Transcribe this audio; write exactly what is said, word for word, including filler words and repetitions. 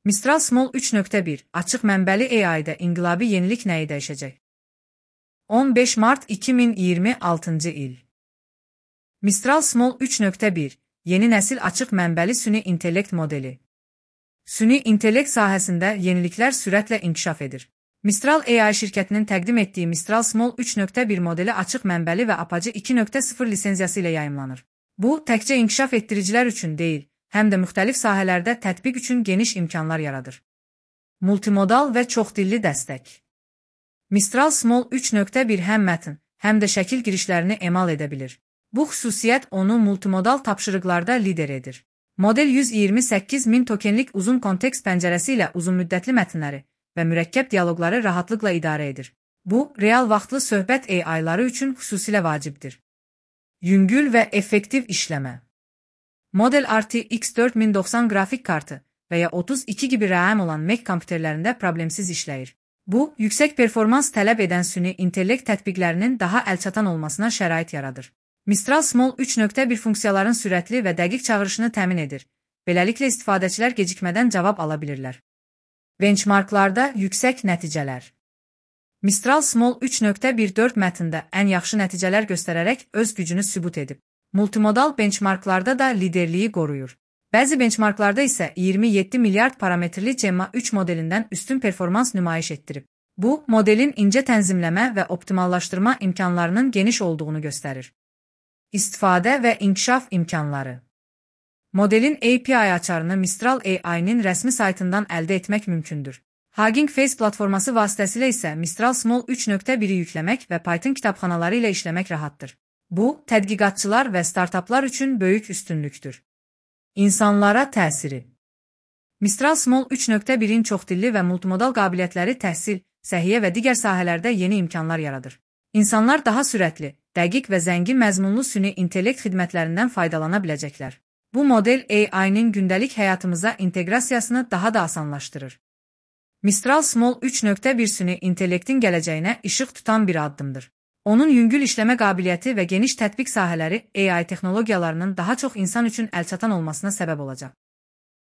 Mistral Small üç nöqtə bir açıq mənbəli A I-də inqilabi yenilik nəyi dəyişəcək? on beş mart iki min iyirmi altıncı il. Mistral Small üç nöqtə bir yeni nəsil açıq mənbəli süni intellekt modeli. Süni intellekt sahəsində yeniliklər sürətlə inkişaf edir. Mistral A I şirkətinin təqdim etdiyi Mistral Small üç nöqtə bir modeli açıq mənbəli və Apache iki nöqtə sıfır lisenziyası ilə yayımlanır. Bu, təkcə inkişaf etdiricilər üçün deyil, həm də müxtəlif sahələrdə tətbiq üçün geniş imkanlar yaradır. Multimodal və çoxdilli dəstək. Mistral Small üç nöqtə bir həm mətn, həm də şəkil girişlərini emal edə bilir. Bu xüsusiyyət onu multimodal tapşırıqlarda lider edir. Model yüz iyirmi səkkiz min tokenlik uzun kontekst pəncərəsi ilə uzunmüddətli mətnləri və mürəkkəb dialoqları rahatlıqla idarə edir. Bu, real vaxtlı söhbət A I-ları üçün xüsusilə vacibdir. Yüngül və effektiv işləmə. Model R T X dörd min doxsan qrafik kartı və ya otuz iki giqabayt RAM olan Mac kompüterlərində problemsiz işləyir. Bu, yüksək performans tələb edən süni intellekt tətbiqlərinin daha əlçatan olmasına şərait yaradır. Mistral Small üç nöqtə bir funksiyaların sürətli və dəqiq çağırışını təmin edir. Beləliklə istifadəçilər gecikmədən cavab ala bilirlər. Benchmarklarda yüksək nəticələr. Mistral Small üç nöqtə bir dörd mətndə ən yaxşı nəticələr göstərərək öz gücünü sübut edib. Multimodal benchmarklarda da liderliyi qoruyur. Bəzi benchmarklarda isə iyirmi yeddi milyard parametrli Gemma üç modelindən üstün performans nümayiş etdirib. Bu, modelin incə tənzimləmə və optimallaşdırma imkanlarının geniş olduğunu göstərir. İstifadə və inkişaf imkanları. Modelin A P I açarını Mistral A I-nin rəsmi saytından əldə etmək mümkündür. Hugging Face platforması vasitəsilə isə Mistral Small üç nöqtə biri yükləmək və Python kitabxanaları ilə işləmək rahatdır. Bu, tədqiqatçılar və startaplar üçün böyük üstünlükdür. İnsanlara təsiri. Mistral Small üç nöqtə birin çoxdilli və multimodal qabiliyyətləri təhsil, səhiyyə və digər sahələrdə yeni imkanlar yaradır. İnsanlar daha sürətli, dəqiq və zəngin məzmunlu süni intellekt xidmətlərindən faydalana biləcəklər. Bu model A I-nin gündəlik həyatımıza inteqrasiyasını daha da asanlaşdırır. Mistral Small üç nöqtə bir süni intellektin gələcəyinə işıq tutan bir addımdır. Onun yüngül işləmə qabiliyyəti və geniş tətbiq sahələri A I texnologiyalarının daha çox insan üçün əlçatan olmasına səbəb olacaq.